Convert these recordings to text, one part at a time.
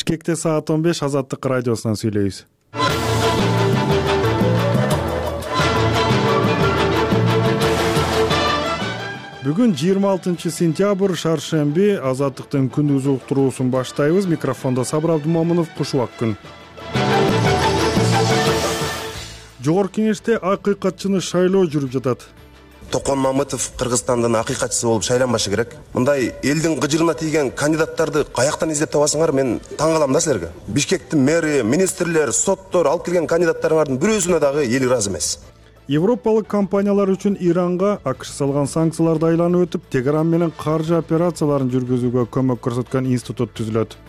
Бишкекте саат 15 Азаттык радиосунан сүйлөйбүз. Бүгүн 26 сентябрь, шаршемби, Азаттыктын күндүз уктуруусун баштайбыз. Микрофондо Сабыр Абдумомунов, кушубак күн. Жогорку кеңеште акыйкатчыны шайлоо жүрүп жатат. Токон Мамытов Кыргызстандын акыйкатчысы болуп шайланбашы керек. Мындай элдин гыжырына тийген кандидаттарды каяктан издеп табасыңар? Мен таң калам да силерге. Бишкектин мэри, министрлер, соттор алып келген кандидаттарыңардын бирөөсүнө дагы эл ыраазы эмес. Европалык компаниялар үчүн Иранга АКШ салган санкцияларды айланып өтүп, Тегеран менен каржы операцияларын жүргүзүүгө көмөк көрсөткөн институт түзүлөт.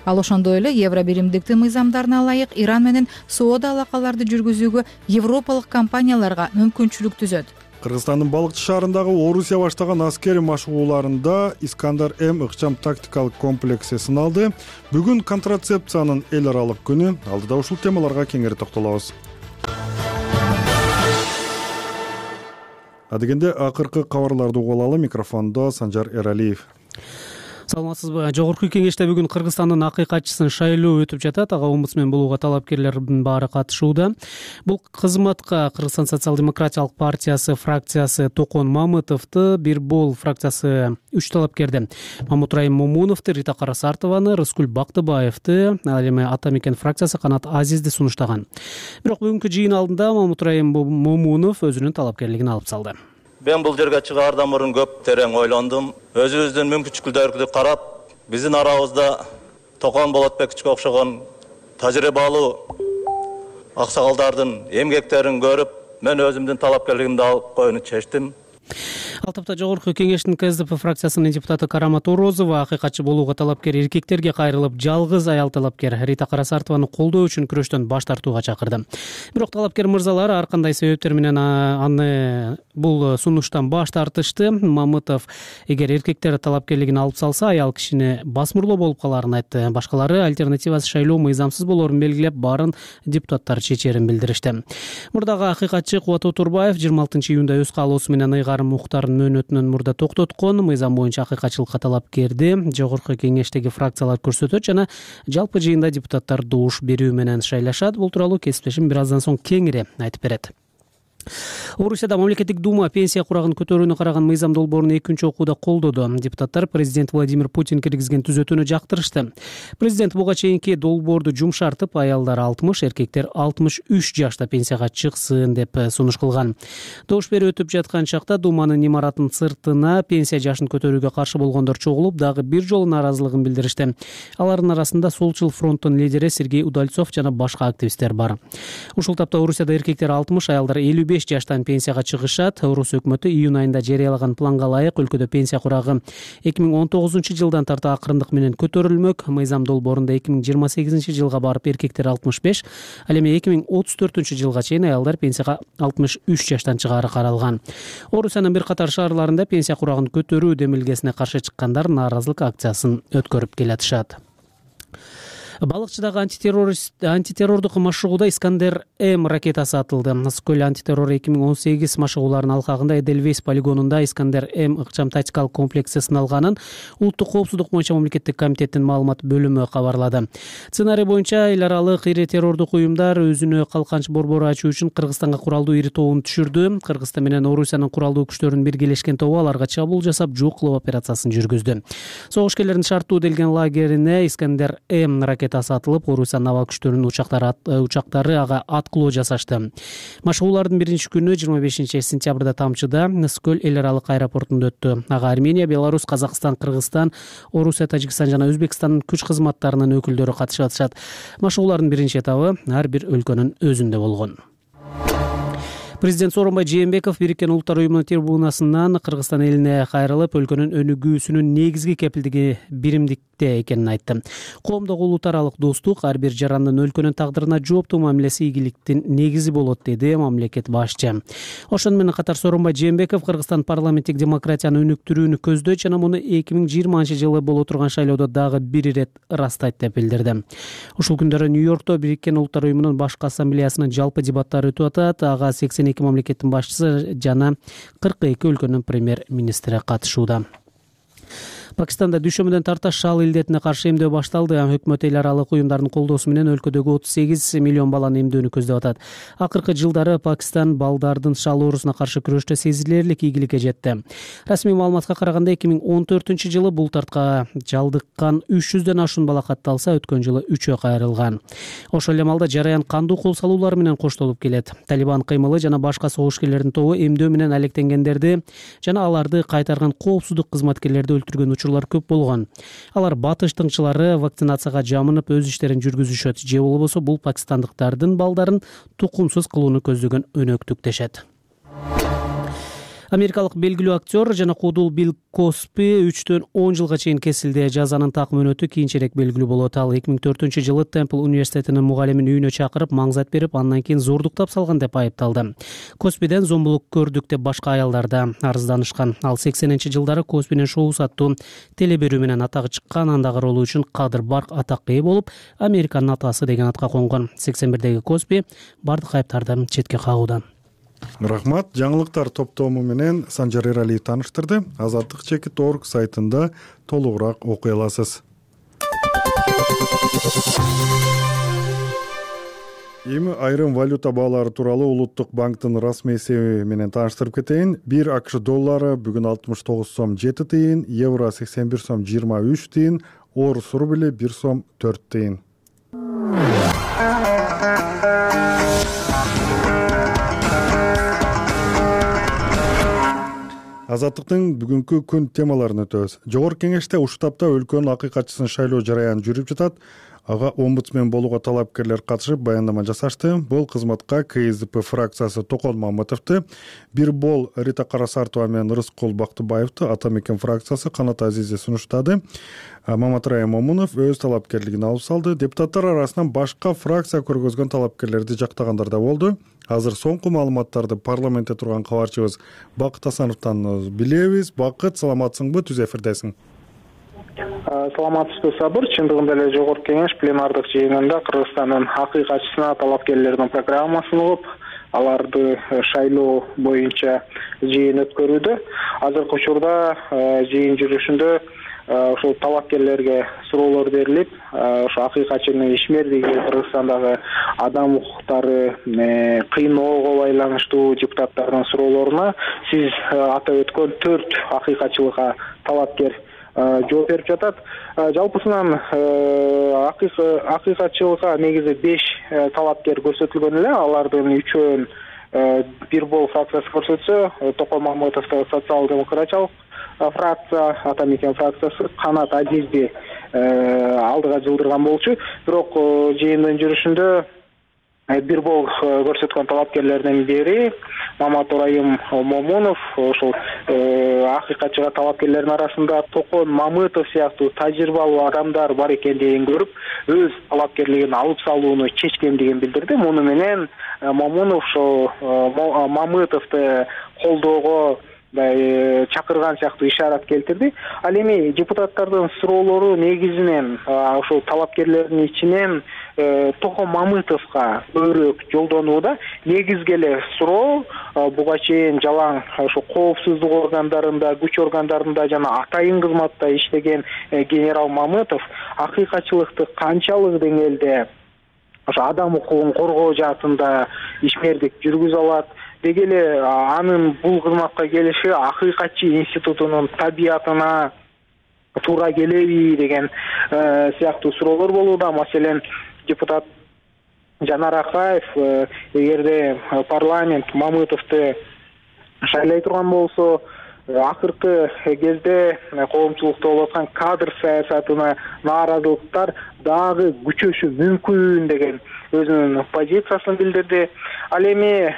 Ал ошондой эле евро биримдиктин мыйзамдарына ылайык Иран менен соода алакаларды жүргүзүүгө европалык компанияларга мүмкүнчүлүк түзөт. Кыргызстандын Балыкчы шаарындагы Орусия баштаган аскери машыгууларында Искандар-М ыкчам тактикалык комплекси сыналды. Бүгүн контрацепциянын эл аралык күнү. Алдыда ушул темаларга кеңири токтолобуз. Адегенде акыркы кабарларды угуп алалы. Микрофондо Санжар Эралиев. Саламатсызбы? Жогорку кеңеште бүгүн Кыргызстандын акыйкатчысын шайлоо өтүп жатат. Ага омбудсмен болууга талапкерлердин баары катышууда. Бул кызматка Кыргызстан социал-демократиялык партиясы фракциясы Токон Мамытовду, Бир Бол фракциясы 3 талапкерди Мамутраим Момуновду, Рита Карасартованы, Рыскүл Бактыбаевди, ал эми Ата Мекен фракциясы Канат Азизди сунуштаган. Бирок бүгүнкү жыйын алдында Мамутраим Момунов өзүнүн талапкерлигин алып салды. Мен бул жерге чыгаардан мурун көп терең ойлондум. Өзүбүздүн мүмкүнчүлүктөрүбүздү карап, биздин арабызда Токон Болотбековичке окшогон тажрыйбалуу аксакалдардын эмгектерин көрүп, мен өзүмдүн талапкерлигимди алып коюуну чечтим. Ал тапта жогорку кеңештин КСДП фракциясынын депутаты Карама Торозова акыйкатчы болууга талапкер эркектерге кайрылып, жалгыз аял талапкер Рита Карасартованы колдоо үчүн күрөштөн баш тартууга чакырды. Бирок талапкер мырзалар ар кандай себептер менен аны бул сунуштан баш тартышты. Мамытов эгер эркектер талапкерлигин алып салса, аял кишини басмырлоо болуп каларын айтты. Башкалары альтернативасы шайлоо мыйзамсыз болоорун белгилеп, баарын депутаттар чечерин билдиришти. Мурдагы акыйкатчы Кубат Отурбаев 26 июнда өз каалоосу менен Ыйгарым Мухтардын мөөнөтүнөн мурда токтоткон. Мыйзам боюнча акыйкатчылыкка талапкерди жогорку кеңештеги фракциялар көрсөтөт жана жалпы жыйында депутаттар добуш берүү менен шайлашат. Бул тууралуу кесиптешим бир аздан соң кеңири айтып берет. Орусияда мамлекеттик дума пенсия курагын көтөрүүнү караган мыйзам долбоорун экинчи окууда колдоду. Депутаттар президент Владимир Путин киргизген түзөтүүнү жактырышты. Президент буга чейинки долбоорду жумшартып, аялдар 60, эркектер 63 жашта пенсияга чыксын деп сунуш кылган. Добуш берүү өтүп жаткан чакта Думанын имараттын сыртына пенсия жашын көтөрүүгө каршы болгондор чогулуп, дагы бир жолу нааразылыгын билдиришти. Алардын арасында Солчул фронттун лидери Сергей Удальцов жана башка активисттер бар. Ушул тапта Орусияда эркектер 60, аялдар 55 жаштан пенсияга чыгышат. Орус өкмөтү июнь айында жарыялаган планга ылайык өлкөдө пенсия курагы 2019 жылдан тарта акырындык менен көтөрүлмөк. Мыйзам долбоорунда 2028 жылга барып эркектер 65, ал эми 2034 жылга чейин аялдар пенсияга 63 жаштан чыгаары каралган. Орусиянын бир катар шаарларында пенсия курагын көтөрүү демилгесине каршы чыккандар нааразылык акциясын өткөрүп келатышат. Балыкчыдагы антитеррордук машыгууда Искандер-М ракетасы атылды. Скөл антитеррор 2018 машыгууларынын алкагында Эдельвейс полигонунда Искандер-М ыкчам тактикалык комплекси сыналганын Улуттук коопсуздук боюнча мамлекеттик комитеттин маалымат бөлүмү кабарлады. Сценарий боюнча эл аралык ири террордук уюмдар өзүнө калканч борбору ачуу үчүн Кыргызстанга куралдуу ири тобун түшүрдү. Кыргызстан менен Орусиянын куралдуу күчтөрүнүн биргелешкен тобу аларга чабуул жасап, жок кылуу операциясын жүргүздү. Согушкерлердин шарттуу делген лагерине Искандер-М ракетасы атылып, Орусиянын аба күчтөрүнүн учактары ага аткылоо жасашты. Машыгуулардын биринчи күнү 25 сентябрда Тамчыда Скөл эл аралык аэропортунда өттү. Ага Армения, Беларусь, Казакстан, Кыргызстан, Орусия, Тажикстан жана Өзбекстандын күч кызматтарынын өкүлдөрү катышып атышат. Машыгуулардын биринчи этабы ар бир өлкөнүн өзүндө болгон. Президент Сооронбай Жээнбеков Бириккен Улуттар уюмунун трибунасынан Кыргызстан элине кайрылып, өлкөнүн өнүгүүсүнүн негизги кепилдиги биримдикте экенин айтты. Коомдогу улут аралык достук ар бир жарандын өлкөнүн тагдырына жооптуу мамилеси ийгиликтин негизи болот, деди мамлекет башчы. Ошону менен катар Сооронбай Жээнбеков Кыргызстан парламенттик демократияны өнүктүрүүнү көздөйт жана муну 2020 жылы боло турган шайлоодо дагы бир ирет ырастайт деп билдирди. Ушул күндөрү Нью-Йоркто Бириккен Улуттар уюмунун башкы ассамблеясынын жалпы дебаттары өтүп атат. Ага 82 мамлекеттин башчысы жана 42 өлкөнүн премьер-министри катышууда. Пакистанда дүйшөмбүдөн тарта шал илдетине каршы эмдөө башталды. Өкмөт эл аралык уюмдардын колдоосу менен өлкөдөгү 38 миллион баланы эмдөөнү көздөп атат. Акыркы жылдары Пакистан балдардын шал оорусуна каршы күрөштө сезилерлик ийгиликке жетти. Расмий маалыматка караганда 2014 бул тартка жалдыккан 300дөн ашуун бала катталса, өткөн жылы 3-ө кайрылган. Ошол эле маалда жараян кандуу кол салуулар менен коштолуп келет. Талибан кыймылы жана башка согушкерлердин тобу эмдөө менен алектенгендерди жана аларды кайтарган коопсуздук кызматкерлерди өлтүргөн учурлар көп болгон. Алар батыш тыңчылары вакцинацияга жамынып өз иштерин жүргүзүшөт, же болбосо бул пакистандыктардын балдарын тукумсуз кылууну көздөгөн өнөктүк дешет. Америкалык белгилүү актер жана куудул Билл Коспи 3-төн 10 жылга чейин кесилди. Жазанын так мөөнөтү кийинчерээк белгилүү болот. Ал 2004-жылы Темпл университетинин мугалимин үйүнө чакырып, маңзат берип, андан кийин зордуктап салган деп айыпталды. Коспиден зомбулук көрдүк деп башка аялдар да арызданышкан. Ал 80-жылдары Коспинин шоу аттуу телеберүү менен атагы чыккан, андагы ролу үчүн кадыр барк атакка ээ болуп, Американын атасы деген атка конгон. 81-деги Коспи бардык айыптарды четке кагууда. Рахмат. Жаңылыктар топтому менен Санжар Эралиев тааныштырды. Азаттык.org сайтында толугураак окуй аласыз. Эми айрым валюта баалары тууралуу Улуттук банктын расмий эсеби менен тааныштырып кетейин. 1 АКШ доллары бүгүн 69 сом 7 тыйын, евро 81 сом 23 тыйын, орус рубли 1 сом 4 тыйын. Азаттыктын бүгүнкү күн темаларын өтөбүз. Жогорку кеңеште ушул тапта өлкөнүн акыйкатчысын шайлоо жараяны жүрүп жатат. Ага омбудсмен болууга талапкерлер катышып баяндама жасашты. Бул кызматка КСДП фракциясы Токон Мамытовду, бир бол Рита Карасартова менен Рыскул Бактыбаевду, Ата Мекен фракциясы Канат Азизи сунуштады. Маматрай Момунов өз талапкерлигин алып салды. Депутаттар арасынан башка фракция көргөзгөн талапкерлерди жактагандар да болду. Азыр соңку маалыматтарды парламентте турган кабарчыбыз Бакыт Асановдон билебиз. Бакыт, саламатсыңбы? Түз эфирдесиң. Саламатсызбы, Сабыр. Чындыгында эле жогорку кеңеш пленардык жыйынында Кыргызстандын акыйкатчысына талапкерлердин программасын угуп, аларды шайлоо боюнча жыйын өткөрүүдө. Азыркы учурда жыйын жүрүшүндө ошол талапкерлерге суроолор берилип, ошо акыйкатчынын ишмердиги, Кыргызстандагы адам укуктары, кыйноого байланыштуу депутаттардын суроолоруна сиз атап өткөн 4 акыйкатчылыкка талапкер жооп берип жатат. Жалпысынан акыйкатчылыкка негизи 5 талапкер көрсөтүлгөн эле. Алардын 3-өн бир бол фракциясы көрсөтсө, Токон Мамытовду социал-демократиялык фракция, Ата Мекен фракциясы Канат Азизди алдыга жылдырган болчу. Бирок жыйындын жүрүшүндө бир бол көрсөткөн талапкерлердин бири Маматрай Момунов, ошол акыйкатчыга талапкерлердин арасында Токон Мамытов сыяктуу тажрыйбалуу адамдар бар экендигин көрүп, өз талапкерлигин алып салууну чечкендигин билдирди. Муну менен Момунов Мамытовду колдоого чакырган сыяктуу ишарат келтирди. Ал эми депутаттардын суроолору негизинен ошол талапкерлердин ичинен Токон Мамытовго көбүрөөк жолдонууда. Негизги эле суроо буга чейин жалаң ошо коопсуздук органдарында, күч органдарында жана атайын кызматта иштеген генерал Мамытов акыйкатчылыкты канчалык деңгээлде ошо адам укугун коргоо жаатында ишмердик жүргүзө алат, деги эле анын бул кызматка келиши акыйкатчы институтунун табиятына туура келеби деген сыяктуу суроолор болууда. Маселен, депутат Жанар Акаев эгерде парламент Мамытовду шайлай турган болсо, акыркы кезде коомчулукта болуп аткан кадр саясатына нааразылыктар дагы күчөшү мүмкүн деген өзүнүн позициясын билдирди. Ал эми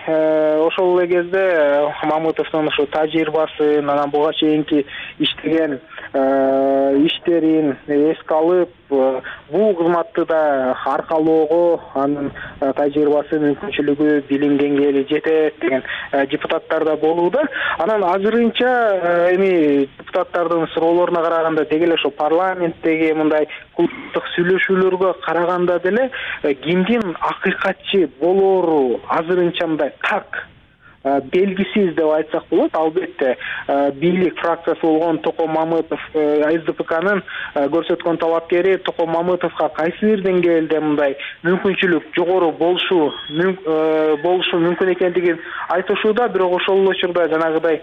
ошол эле кезде Мамытовдун ошо тажрыйбасын, анан буга чейинки иштеген иштерин эске алып, бул кызматты да аркалоого анын тажрыйбасы, мүмкүнчүлүгү, билим деңгээли жетет деген депутаттар да болууда. Анан азырынча эми депутаттардын суроолоруна караганда деги эле ошо парламенттеги мындай клубдук сүйлөшүүлөргө караганда деле кимдин акыйкатчы болоору азырынча мындай так белгисиз деп айтсак болот. Албетте бийлик фракциясы болгон Токон Мамытов СДПКнын көрсөткөн талапкери Токон Мамытовго кайсы бир деңгээлде мындай мүмкүнчүлүк жогору болушу мүмкүн экендигин айтышууда. Бирок ошол эле учурда жанагыдай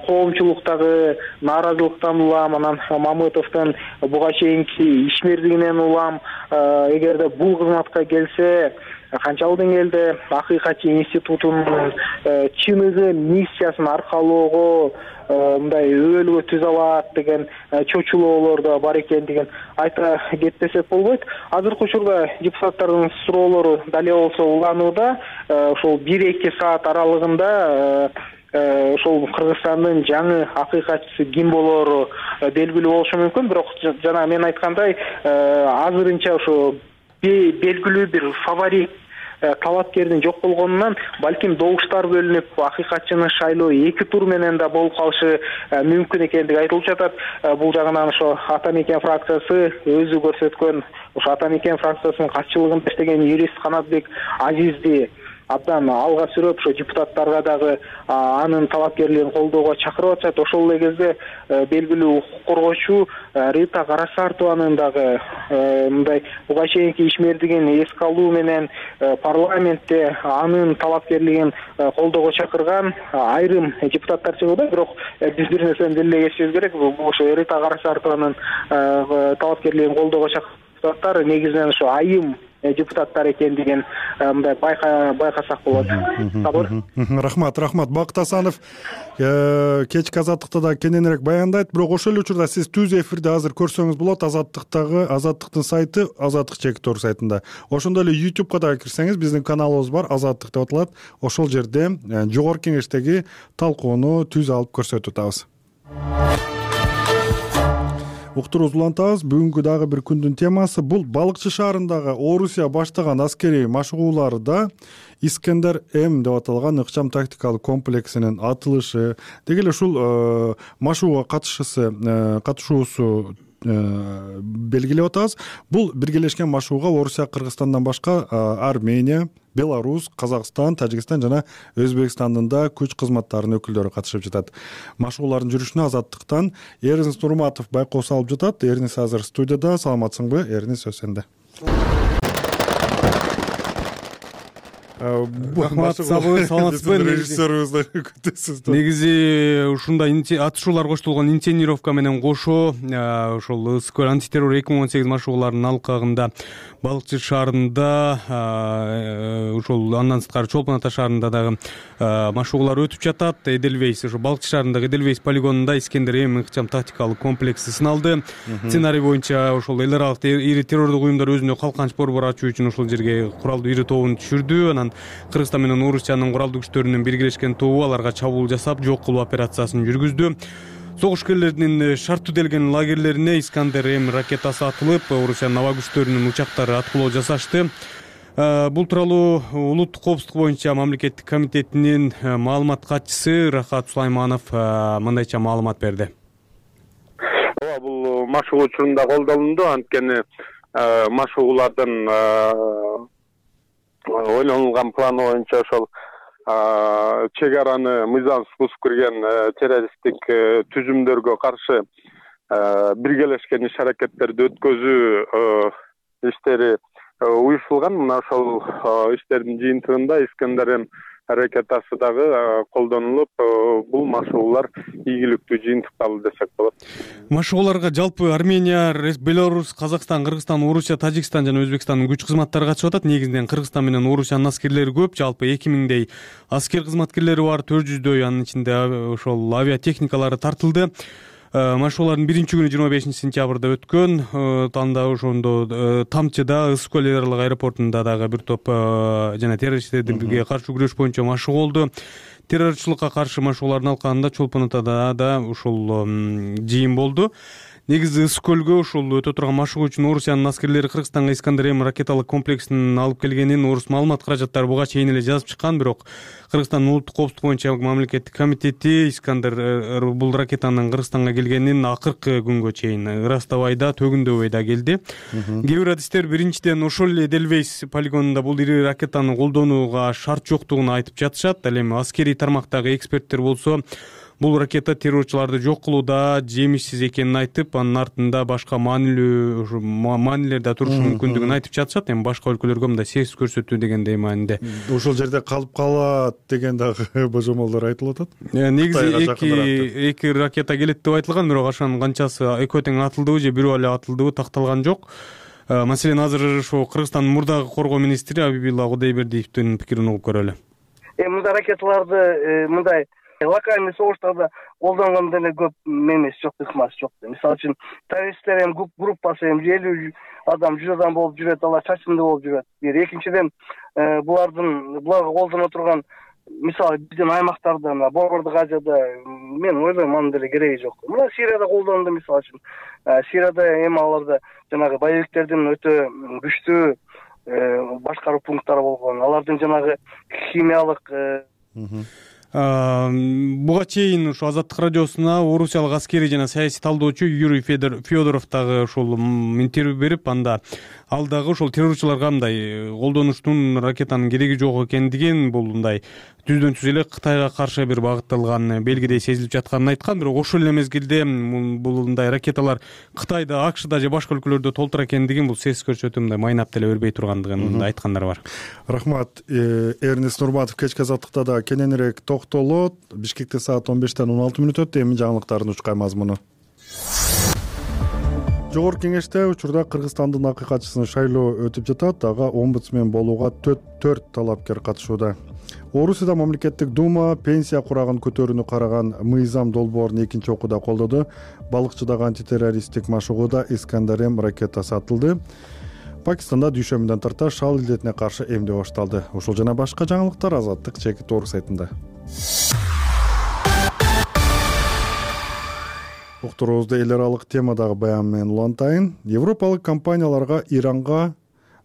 коомчулуктагы нааразылыктан улам, анан Мамытовдун буга чейинки ишмердигинен улам, эгерде бул кызматка келсе канчалык деңгээлде Акыйкатчы институтунун чыныгы миссиясын аркалоого мындай өбөлгө түзө алат деген чочулоолор да бар экендигин айта кетпесек болбойт. Азыркы учурда депутаттардын суроолору дале болсо уланууда. Ошол 1-2 саат аралыгында ошол Кыргызстандын жаңы акыйкатчысы ким болоору белгилүү болушу мүмкүн. Бирок жана мен айткандай, азырынча ошо белгилүү бир фаворит талапкердин жок болгонунан балким добуштар бөлүнүп акыйкатчыны шайлоо 2 тур менен да болуп калышы мүмкүн экендиги айтылып жатат. Бул жагынан ошо Ата Мекен фракциясы өзү көрсөткөн, ошо Ата Мекен фракциясынын катчылыгында иштеген юрист Канатбек Азизди абдан алга сүрөп, ошо депутаттарга дагы анын талапкерлигин колдоого чакырып атышат. Ошол эле кезде белгилүү укук коргоочу Рита Карасартованын дагы мындай буга чейинки ишмердигин эске алуу менен парламентте анын талапкерлигин колдоого чакырган айрым депутаттар чыгууда. Бирок биз бир нерсени делилей кетишибиз керек. Бул ошо Рита Карасартованын талапкерлигин колдоого чакырган депутаттар негизинен ошо айым депутаттар экендигин мындай байкасак болот. Рахмат. Бакыт Асанов кечки Азаттыкта да кененирээк баяндайт. Бирок ошол эле учурда сиз түз эфирде азыр көрсөңүз болот. Азаттыктын сайты Азаттык.Тор сайтында. Ошондой эле YouTube'га да кирсеңиз, биздин каналыбыз бар, Азаттык деп аталат. Ошол жерде жогорку кеңештеги талкууну түз алып көрсөтүп атабыз. Уктурубузду улантабыз. Бүгүнкү дагы бир күндүн темасы бул Балыкчы шаарындагы Орусия баштаган аскерий машыгууларда Искендер М деп аталган ыкчам тактикалык комплексинин атылышы. Деги эле ушул машыгууга катышуусу белгилеп атабыз. Бул биргелешкен машыгууга Орусия, Кыргызстандан башка Армения, Беларусь, Казакстан, Тажикстан жана Өзбекстандын да күч кызматтарынын өкүлдөрү катышып жатат. Машыгуулардын жүрүшүнө Азаттыктан Эрнис Нурматов байкоо салып жатат. Эрнис азыр студияда. Саламатсыңбы? Эрнис, сөз сенде. Саламатсызбы, режиссерибизди күтөсүз. Негизи ушундай атышуулар коштолгон инсценировка менен кошо ошол ысык антитеррор 2018 машыгууларынын алкагында Балыкчы шаарында, ошол андан сырткары Чолпон Ата шаарында дагы машыгуулар өтүп жатат. Эделвейс, ошо Балыкчы шаарындагы Эделвейс полигонунда Искендер М ыкчам тактикалык комплекси сыналды. Сценарий боюнча ошол эл аралык ири террордук уюмдар өзүнө калканч борбор ачуу үчүн ошол жерге куралдуу ири тобун түшүрдү. Анан Кыргызстан менен Орусиянын куралдуу күчтөрүнүн биргелешкен тобу аларга чабуул жасап, жок кылуу операциясын жүргүздү. Согушкерлердин шарт түзөлгөн лагерлерине Искендер М ракетасы атылып, Орусиянын аба күчтөрүнүн учактары аткылоо жасашты. Бул тууралуу улуттук коопсуздук боюнча мамлекеттик комитетинин маалымат катчысы Рахат Сулайманов мындайча маалымат берди. Ооба, бул машыгуу учурунда колдонулду. Анткени машыгуулардын ойлонулган планы боюнча ошол чек араны мыйзамсыз бузуп кирген террористтик түзүмдөргө каршы биргелешкен иш аракеттерди өткөзүү иштери уюштурулган. Мына ошол иштердин жыйынтыгында Искендер М ракетасы дагы колдонулуп, бул машыгуулар ийгиликтүү жыйынтыкталды десек болот. Машыгууларга жалпы Армения, Беларусь, Казакстан, Кыргызстан, Орусия, Тажикстан жана Өзбекстандын күч кызматтары катышып атат. Негизинен Кыргызстан менен Орусиянын аскерлери көп. Жалпы 2000дей аскер кызматкерлери бар, 400дөй, анын ичинде ошол авиатехникалары тартылды. Машыгуулардын биринчи күнү 25 сентябрда өткөн. Танда ошондо Тамчыда, Ысык көл эл аралык аэропортунда дагы бир топ жана террористтерге каршы күрөш боюнча машыгуу болду. Террорчулукка каршы машыгуулардын алкагында Чолпон Атада да ушул жыйын болду. негизи ысык көлгө ушул өтө турган машыгуу үчүн Орусиянын аскерлери Кыргызстанга Искандер-М ракеталык комплексин алып келгенин орус маалымат каражаттары буга чейин эле жазып чыккан. Бирок Кыргызстандын улуттук коопсуздук боюнча мамлекеттик комитети Искандер бул ракетанын Кыргызстанга келгенин акыркы күнгө чейин ырастабай да, төгүндөбөй да келди. Кээ бир адистер биринчиден ошол эле Эдельвейс полигонунда бул ири ракетаны колдонууга шарт жоктугун айтып жатышат. Ал эми аскерий тармактагы эксперттер болсо бул ракета террорчуларды жок кылууда жемишсиз экенин айтып, анын артында башка маанилер да турушу мүмкүндүгүн айтып жатышат. Эми башка өлкөлөргө мындай сервис көрсөтүү дегендей маанинде ошол жерде калып калат деген дагы божомолдор айтылып атат. Негизи эки ракета келет деп айтылган, бирок ошонун канчасы экөө тең атылдыбы же бирөө эле атылдыбы такталган жок. Маселен, азыр ошо Кыргызстандын мурдагы коргоо министри Абибилла Кудайбердиевдин пикирин угуп көрөлү. Мындай ракеталарды мындай локальный согуштарда колдонгондо эле көп эмес жок, ыкмасы жок. Мисалы үчүн террористтер группасы 50 адам, 100 адам болуп жүрөт, алар чачымдуу болуп жүрөт. Экинчиден, буларга колдоно турган мисалы биздин аймактарда, Борбордук Азияда мен ойлойм анын деле кереги жок. Мына Сирияда колдондо, мисалы үчүн Сирияда эми аларда жанагы боевиктердин өтө күчтүү башкаруу пункттары болгон, алардын жанагы химиялык буга чейин ушу Азаттык радиосуна орусиялык аскерий жана саясий талдоочу Юрий Федоров дагы ушул интервью берип, анда ал дагы ошол террорчуларга мындай колдонуштун ракетанын кереги жок экендигин, бул мындай түздөн түз эле Кытайга каршы бир багытталган белгидей сезилип жатканын айткан. Бирок ошол эле мезгилде бул мындай ракеталар Кытайда, АКШда же башка өлкөлөрдө толтура экендигин, бул сервис көрсөтүү мындай майнап деле бербей тургандыгын айткандар бар. Рахмат. Эрнест Нурматов кечки азаттыкта да кененирээк токтолот. Бишкекте саат 15:16 өтөт. Эми жаңылыктардын учкай мазмуну. Жогорку кеңеште учурда Кыргызстандын акыйкатчысын шайлоо өтүп жатат. Ага омбудсмен болууга 4 талапкер катышууда. Орусияда мамлекеттик дума пенсия курагын көтөрүүнү караган мыйзам долбоорун экинчи окууда колдоду. Балыкчыдагы антитеррористтик машыгууда Искандер-М ракетасы атылды. Пакистанда дүйшөмбүдөн тарта шал илдетине каршы эмдөө башталды. Ушул жана башка жаңылыктар Азаттык чекит орус сайтында. Уктуруубузду эл аралык темадагы баян менен улантайын. Европалык компанияларга Иранга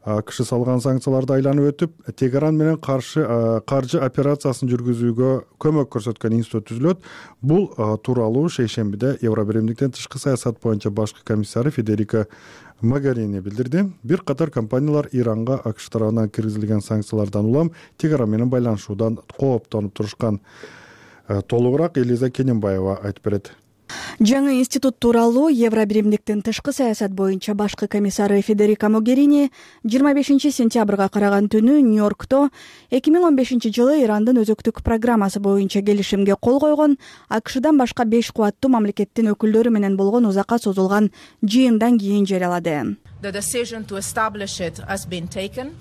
АКШ салган санкцияларды айланып өтүп, Тегеран менен каржы операциясын жүргүзүүгө көмөк көрсөткөн институт түзүлөт. Бул тууралуу шейшембиде Евробиримдиктин тышкы саясат боюнча башкы комиссары Федерика Могерини билдирди. Бир катар компаниялар Иранга АКШ тарабынан киргизилген санкциялардан улам Тегеран менен байланышуудан кооптонуп турушкан. Толугураак Элиза Кененбаева айтып берет. Жаңы институт тууралуу Евробиримдиктин тышкы саясат боюнча башкы комиссары Федерика Могерини 25 сентябрга караган түнү Нью-Йоркто 2015 жылы Ирандын өзөктүк программасы боюнча келишимге кол койгон АКШдан башка 5 кубаттуу мамлекеттин өкүлдөрү менен болгон узакка созулган жыйындан кийин жарыялады.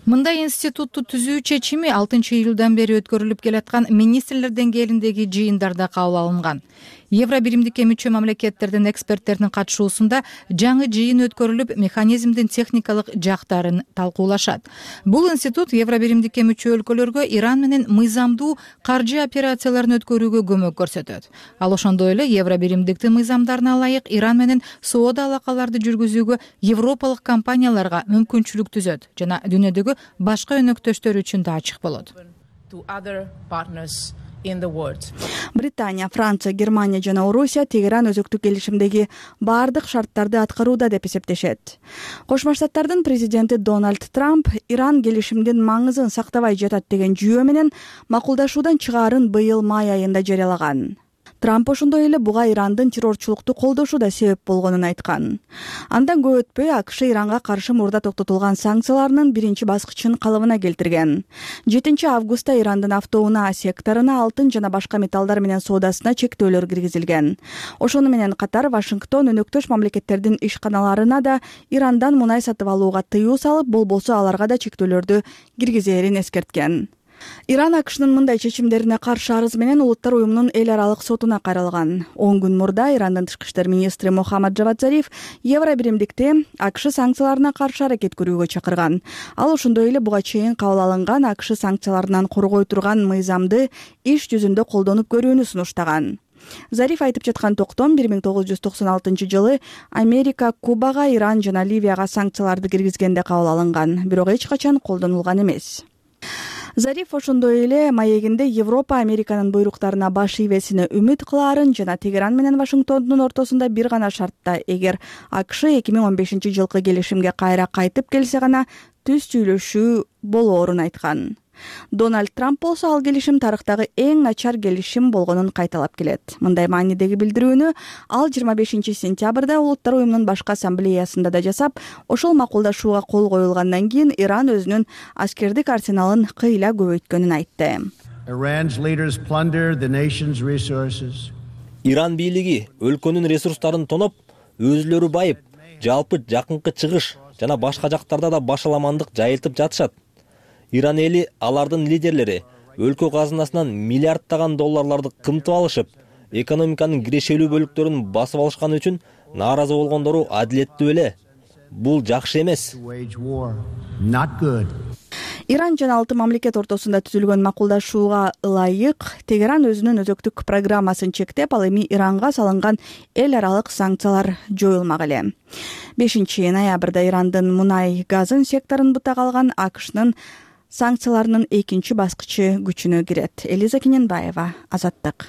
Мындай институтту түзүү чечими 6-июлдан бери өткөрүлүп келаткан министрлер деңгээлиндеги жыйындарда кабыл алынган. Евробиримдикке мүчө мамлекеттердин эксперттеринин катышуусунда жаңы жыйын өткөрүлүп, механизмдин техникалык жактарын талкуулашат. Бул институт Евробиримдикке мүчө өлкөлөргө Иран менен мыйзамдуу каржы операцияларын өткөрүүгө көмөк көрсөтөт. Ал ошондой эле Евробиримдиктин мыйзамдарына ылайык Иран менен соода алакаларды жүргүзүүгө европалык компанияларга мүмкүнчүлүк түзөт жана дүйнөдөгү башка өнөктөштөр үчүн да ачык болот. Британия, Франция, Германия жана Орусия Тегеран өзөктүк келишимдеги баардык шарттарды аткарууда деп эсептешет. Кошмо Штаттардын президенти Дональд Трамп Иран келишимдин маңызын сактабай жатат деген жүйө менен макулдашуудан чыгаарын быйыл май айында жарыялаган. Трамп ошондой эле буга Ирандын террорчулукту колдошу да себеп болгонун айткан. Андан көп өтпөй АКШ Иранга каршы мурда токтотулган санкцияларынын биринчи баскычын калыбына келтирген. 7 августта Ирандын автоунаа секторуна алтын жана башка металлдар менен соодасына чектөөлөр киргизилген. Ошону менен катар Вашингтон өнөктөш мамлекеттердин ишканаларына да Ирандан мунай сатып алууга тыюу салып, болбосо аларга да чектөөлөрдү киргизерин эскерткен. Иран АКШнын мындай чечимдерине каршы арыз менен Улуттар уюмунун эл аралык сотуна кайрылган. 10 күн мурда Ирандын тышкы иштер министри Мохаммад Джавад Зариф Евробиримдикти АКШ санкцияларына каршы аракет көрүүгө чакырган. Ал ошондой эле буга чейин кабыл алынган АКШ санкцияларынан коргой турган мыйзамды иш жүзүндө колдонуп көрүүнү сунуштаган. Зариф айтып жаткан токтом 1996-жылы Америка Кубага, Иран жана Ливияга санкцияларды киргизгенде кабыл алынган, бирок эч качан колдонулган эмес. Зариф ошондой эле маегинде Европа Американын буйруктарына баш ийбесине үмүт кылаарын жана Тегеран менен Вашингтондун ортосунда бир гана шартта, эгер АКШ 2015-жылкы келишимге кайра кайтып келсе гана түз сүйлөшүү болоорун айткан. Дональд Трамп болсо ал келишим тарыхтагы эң начар келишим болгонун кайталап келет. Мындай маанидеги билдирүүнү ал 25-сентябрда Улуттар уюмунун башкы ассамблеясында да жасап, ошол макулдашууга кол коюлгандан кийин Иран өзүнүн аскердик арсеналын кыйла көбөйткөнүн айтты. Иран бийлиги өлкөнүн ресурстарын тоноп, өзүлөрү байып, жалпы жакынкы чыгыш жана башка жактарда да башаламандык жайылтып жатышат. Иран эли, алардын лидерлери өлкө казынасынан миллиарддаган долларларды кымтып алышып, экономиканын кирешелүү бөлүктөрүн басып алышканы үчүн нааразы болгондору адилеттүү эле. Бул жакшы эмес. Иран жана 6 мамлекет ортосунда түзүлгөн макулдашууга ылайык Тегеран өзүнүн өзөктүк программасын чектеп, ал эми Иранга салынган эл аралык санкциялар жоюлмак эле. 5-ноябрда Ирандын мунай газын секторун бутак алган АКШнын санкцияларынын экинчи баскычы күчүнө кирет. Элиза Кененбаева, Азаттык.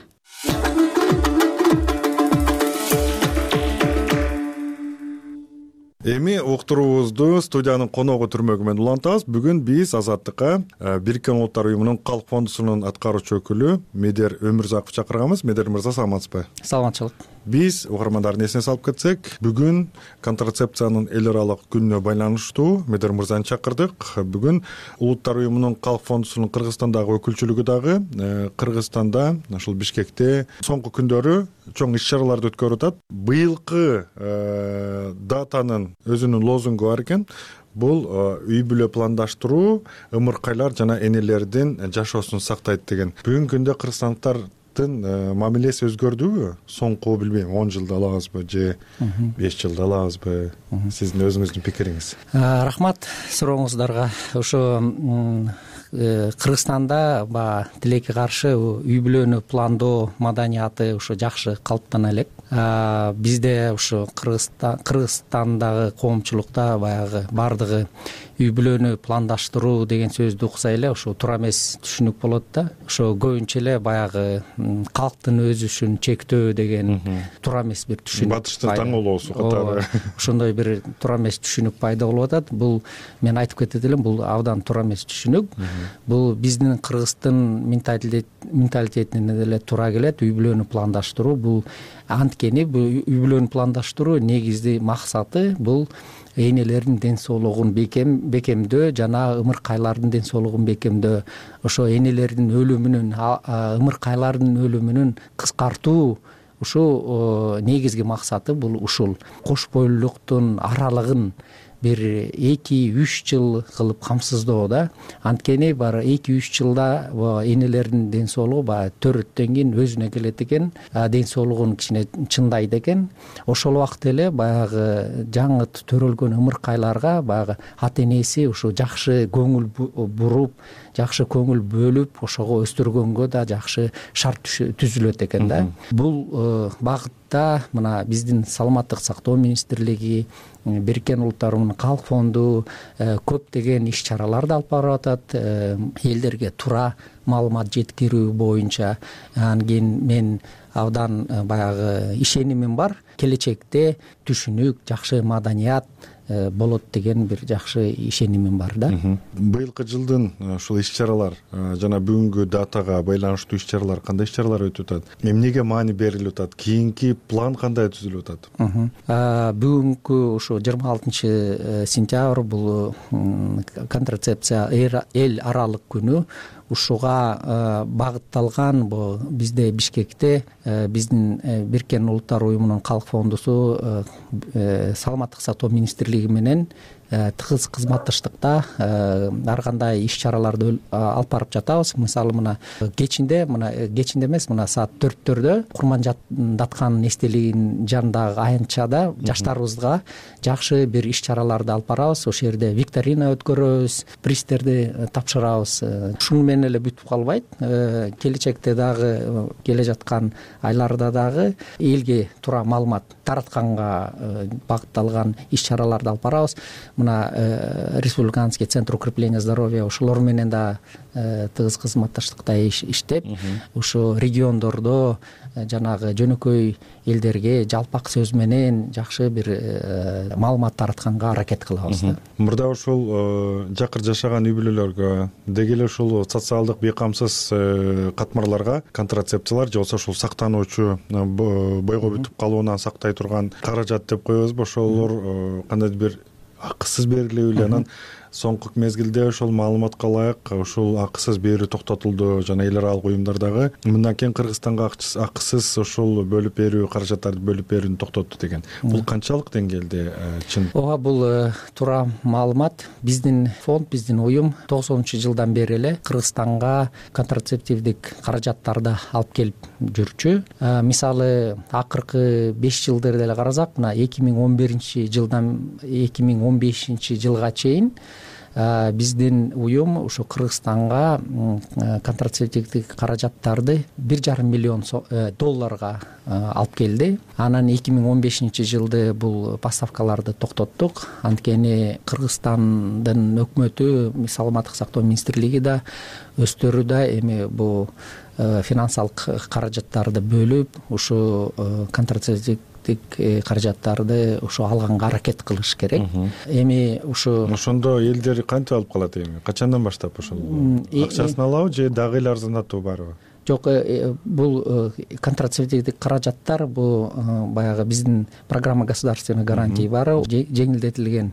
Эми уктуруубузду студиянын коногу түрмөгү менен улантабыз. Бүгүн биз Азаттыкка Бириккен Улуттар уюмунун Калк фондусунун аткаруучу өкүлү Медер Өмүрзаков чакырганбыз. Медер мырза, саламатсызбы? Саламатчылык. Биз угармандардын эсине салып кетсек, бүгүн контрацепциянын эл аралык күнүнө байланыштуу Медер мырзаны чакырдык. Бүгүн Улуттар уюмунун Калк фондусунун Кыргызстандагы өкүлчүлүгү дагы Кыргызстанда, ошол Бишкекте соңку күндөрү чоң иш-чараларды өткөрүп атат. Быйылкы датанын өзүнүн лозунгу бар экен. Бул үй бүлө пландаштыруу, ымыркайлар жана энелердин жашоосун сактайт деген. Бүгүнкү күндө кыргызстандыктын мамилеси өзгөрдүбү? Соңку билбейм 10 жылда алабызбы же 5 жылда алабызбы? Сиздин өзүңүздүн пикириңиз. Рахмат сурооңуздарга. Ошо Кыргызстанда тилекке каршы үй бүлөнү пландоо маданияты ошо жакшы калыптана элек. Бизде ошо Кыргызстандагы коомчулукта баягы бардыгы үй бүлөнү пландаштыруу деген сөздү укса эле ошо туура эмес түшүнүк болот да. Ошо көбүнчө эле баягы калктын өсүшүн чектөө деген туура эмес бир түшүнүк. Батыштын таң болоосу катары. Ошондой бир туура эмес түшүнүк пайда болуп атат. Бул мен айтып кетет элем, бул абдан туура эмес түшүнүк. Бул биздин кыргыздын менталитетине деле туура келет. Үй бүлөнү пландаштыруу бул анткени үй бүлөнү пландаштыруу негизги максаты бул энелердин ден соолугун бекемдөө жана ымыркайлардын ден соолугун бекемдөө. Ошо энелердин өлүмүнүн, ымыркайлардын өлүмүнүн кыскартуу ушул негизги максаты бул ушул. Кош бойлуулуктун аралыгын бир 2-3 жыл кылып камсыздоо да. Анткени бар 2-3 жылда энелердин ден соолугу төрөттөн кийин өзүнө келет экен, ден соолугун кичине чындайт экен. Ошол убакта эле баягы жаңы төрөлгөн ымыркайларга баягы ата энеси ушу жакшы көңүл буруп, жакшы көңүл бөлүп, ошого өстүргөнгө да жакшы шарт түзүлөт экен да. Бул багытта мына биздин саламаттык сактоо министрлиги, Бириккен Улуттар уюмунун Калк фонду көптөгөн иш-чараларды алып барып атат. Элдерге туура маалымат жеткирүү боюнча. Анан кийин мен абдан баягы ишенимим бар. Келечекте түшүнүк, жакшы маданият болот деген бир жакшы ишенимим бар да. Быйылкы жылдын ушул иш-чаралар жана бүгүнкү датага байланыштуу иш-чаралар кандай иш-чаралар өтүп атат? Эмнеге маани берилип атат? Кийинки план кандай түзүлүп атат? Бүгүнкү ушу 26 сентябрь бул контрацепция эл аралык күнү. Ушуга багытталган бизде Бишкекте биздин Бириккен Улуттар уюмунун Калк фондусу саламаттык сактоо министрлиги менен тыгыз кызматташтыкта ар кандай иш чараларды алып барып жатабыз. Мисалы мына кечинде эмес, мына саат 4-төрдө Курманжаткан эстелигинин жанындагы аянтчада жаштарыбызга жакшы бир иш чараларды алып барабыз. Ошол жерде викторина өткөрөбүз, приздерди тапшырабыз. Ушуну менен эле бүтүп калбайт. Келечекте дагы келе жаткан айларда дагы элге туура маалымат таратканга багытталган иш чараларды алып барабыз. Мына Республиканский центр укрепления здоровья ошолор менен да тыгыз кызматташтыкта иштеп, ушу региондордо жанагы жөнөкөй элдерге жалпак сөз менен жакшы бир маалымат таратканга аракет кылабыз. Мурда ошол жакыр жашаган үй бүлөлөргө, деги эле ушул социалдык бейкамсыз катмарларга контрацепциялар же болбосо ушул сактануучу бойго бүтүп калуунан сактай турган каражат деп коебузбу, ошолор кандайдыр бир акысыз берилеби эле, анан соңку мезгилде ошол маалыматка ылайык ушул акысыз берүү токтотулду жана эл аралык уюмдардагы мындан кийин Кыргызстанга акысыз ошол бөлүп берүү, каражаттарды бөлүп берүүнү токтотту деген. Бул канчалык деңгээлде чын? Ооба, бул туура маалымат. Биздин фонд, биздин уюм 90-жылдан бери эле Кыргызстанга контрацептивдик каражаттарды алып келип жүрчү. Мисалы акыркы 5 жылды деле карасак, мына 2011-жылдан 2015-жылга чейин биздин уюм ушу Кыргызстанга контрацептивдик каражаттарды 1,5 миллион долларга алып келди. Анан 2015-жылды бул поставкаларды токтоттук. Анткени Кыргызстандын өкмөтү, саламаттык сактоо министрлиги да өздөрү да эми бул финансалык каражаттарды бөлүп, ушу контрацептивдик каражаттарды ушу алганга аракет кылыш керек. Эми ошондо элдер кантип алып калат эми? Качандан баштап ошол акчасын алабы же дагы эле арзандатуу барбы? Жок, бул контрацептивдик каражаттар бул баягы биздин программа государственной гарантии бар, жеңилдетилген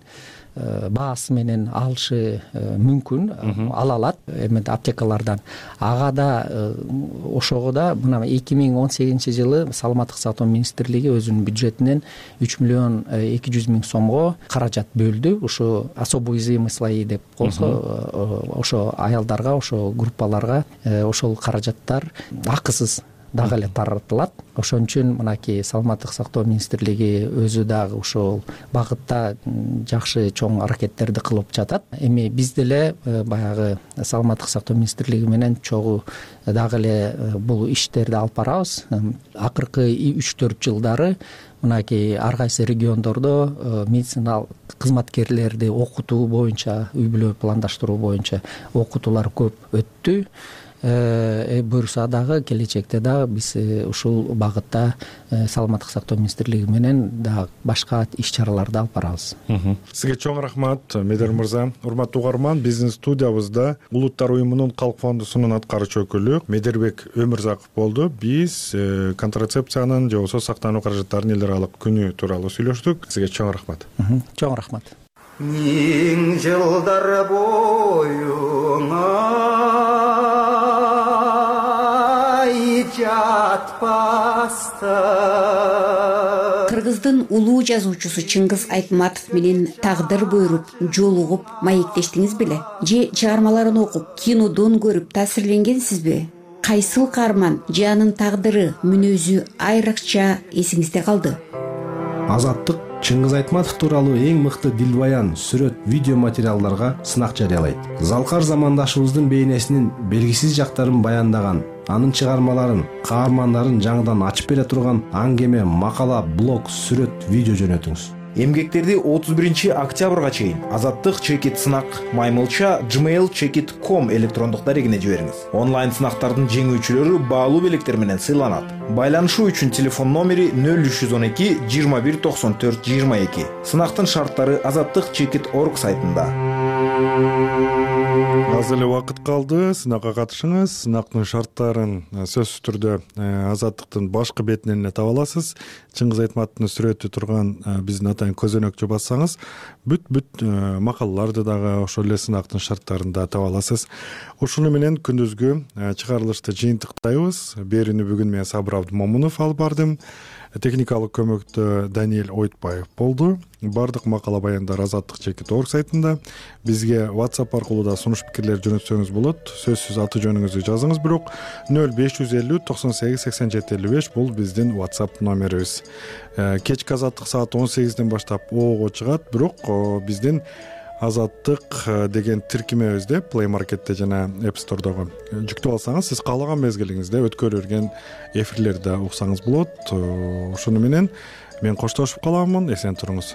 баасы менен алышы мүмкүн, ала алат эми аптекалардан. Ага да ошого да мына 2018-жылы саламаттык сактоо министрлиги өзүнүн бюджетинен 3 миллион 200 миң сомго каражат бөлдү. Ушу особо уязвимый слои деп болсо, ошо аялдарга, ошо группаларга ошол каражаттар акысыз дагы эле таратылат. Ошон үчүн мынакей саламаттык сактоо министрлиги өзү дагы ошол багытта жакшы чоң аракеттерди кылып жатат. Эми биз деле баягы саламаттык сактоо министрлиги менен чогуу дагы эле бул иштерди алып барабыз. Акыркы 3-4 жылдары мынакей ар кайсы региондордо медициналык кызматкерлерди окутуу боюнча, үй бүлө пландаштыруу боюнча окутуулар көп өттү. Буюрса дагы келечекте дагы биз ушул багытта саламаттык сактоо министрлиги менен дагы башка иш чараларды алып барабыз. Сизге чоң рахмат, Медер мырза. Урматтуу угарман, биздин студиябызда Улуттар уюмунун Калк фондусунун аткаруучу өкүлү Медербек Өмүрзаков болду. Биз контрацепциянын же болбосо сактануу каражаттарынын эл аралык күнү тууралуу сүйлөштүк. Сизге чоң рахмат. Чоң рахмат. Миң жылдар боюңа Кыргыздын улуу жазуучусу Чыңгыз Айтматов менен тагдыр буйруп, жолугуп, маектештиңиз беле? Же чыгармаларын окуп, кинодон көрүп таасирленгенсизби? Кайсыл каарман же анын тагдыры, мүнөзү айрыкча эсиңизде калды? Азаттык Чыңгыз Айтматов тууралуу эң мыкты дилбаян, сүрөт, видео материалдарга сынак жарыялайт. Залкар замандашыбыздын бейнесинин белгисиз жактарын баяндаган, анын чыгармаларын, каармандарын жаңыдан ачып бере турган аңгеме, макала, блог, сүрөт, видео жөнөтүңүз. Эмгектерди 31-октябрга чейин Азаттык чекит сынак маймылча gmail.com электрондук дарегине жибериңиз. Онлайн сынактардын жеңүүчүлөрү баалуу белектер менен сыйланат. Байланышуу үчүн телефон номери 0312 21 94 22. Сынактын шарттары azattikchekit.org сайтында. Аз эле убакыт калды. Сынакка катышыңыз. Сынактын шарттарын сөзсүз түрдө Азаттыктын башкы бетинен эле таба аласыз. Чыңгыз Айтматовдун сүрөтү турган биздин атайын көзөнөкчү бассаңыз, бүт макалаларды дагы ошол эле сынактын шарттарында таба аласыз. Ушуну менен күндүзгү чыгарылышты жыйынтыктайбыз. Берүүнү бүгүн мен Сабыр Абдымомунов алып бардым. Техникалык көмөктө Даниэль Ойтбаев болду. Бардык макала баяндар Азаттык.org сайтында. Бизге WhatsApp аркылуу да сунуш пикирлер жөнөтсөңүз болот. Сөзсүз аты жөнүңүздү жазыңыз, бирок 0550 98 87 55 бул биздин WhatsApp номерибиз. Кечки Азаттык саат 18ден баштап оого чыгат, бирок биздин Азаттык деген тиркемебизде Play Market'те жана App Store'догу жүктөп алсаңыз, сиз каалаган мезгилиңизде өткөрүлө берген эфирлерди уксаңыз болот. Ошону менен мен коштошуп каламын. Эсен туруңуз.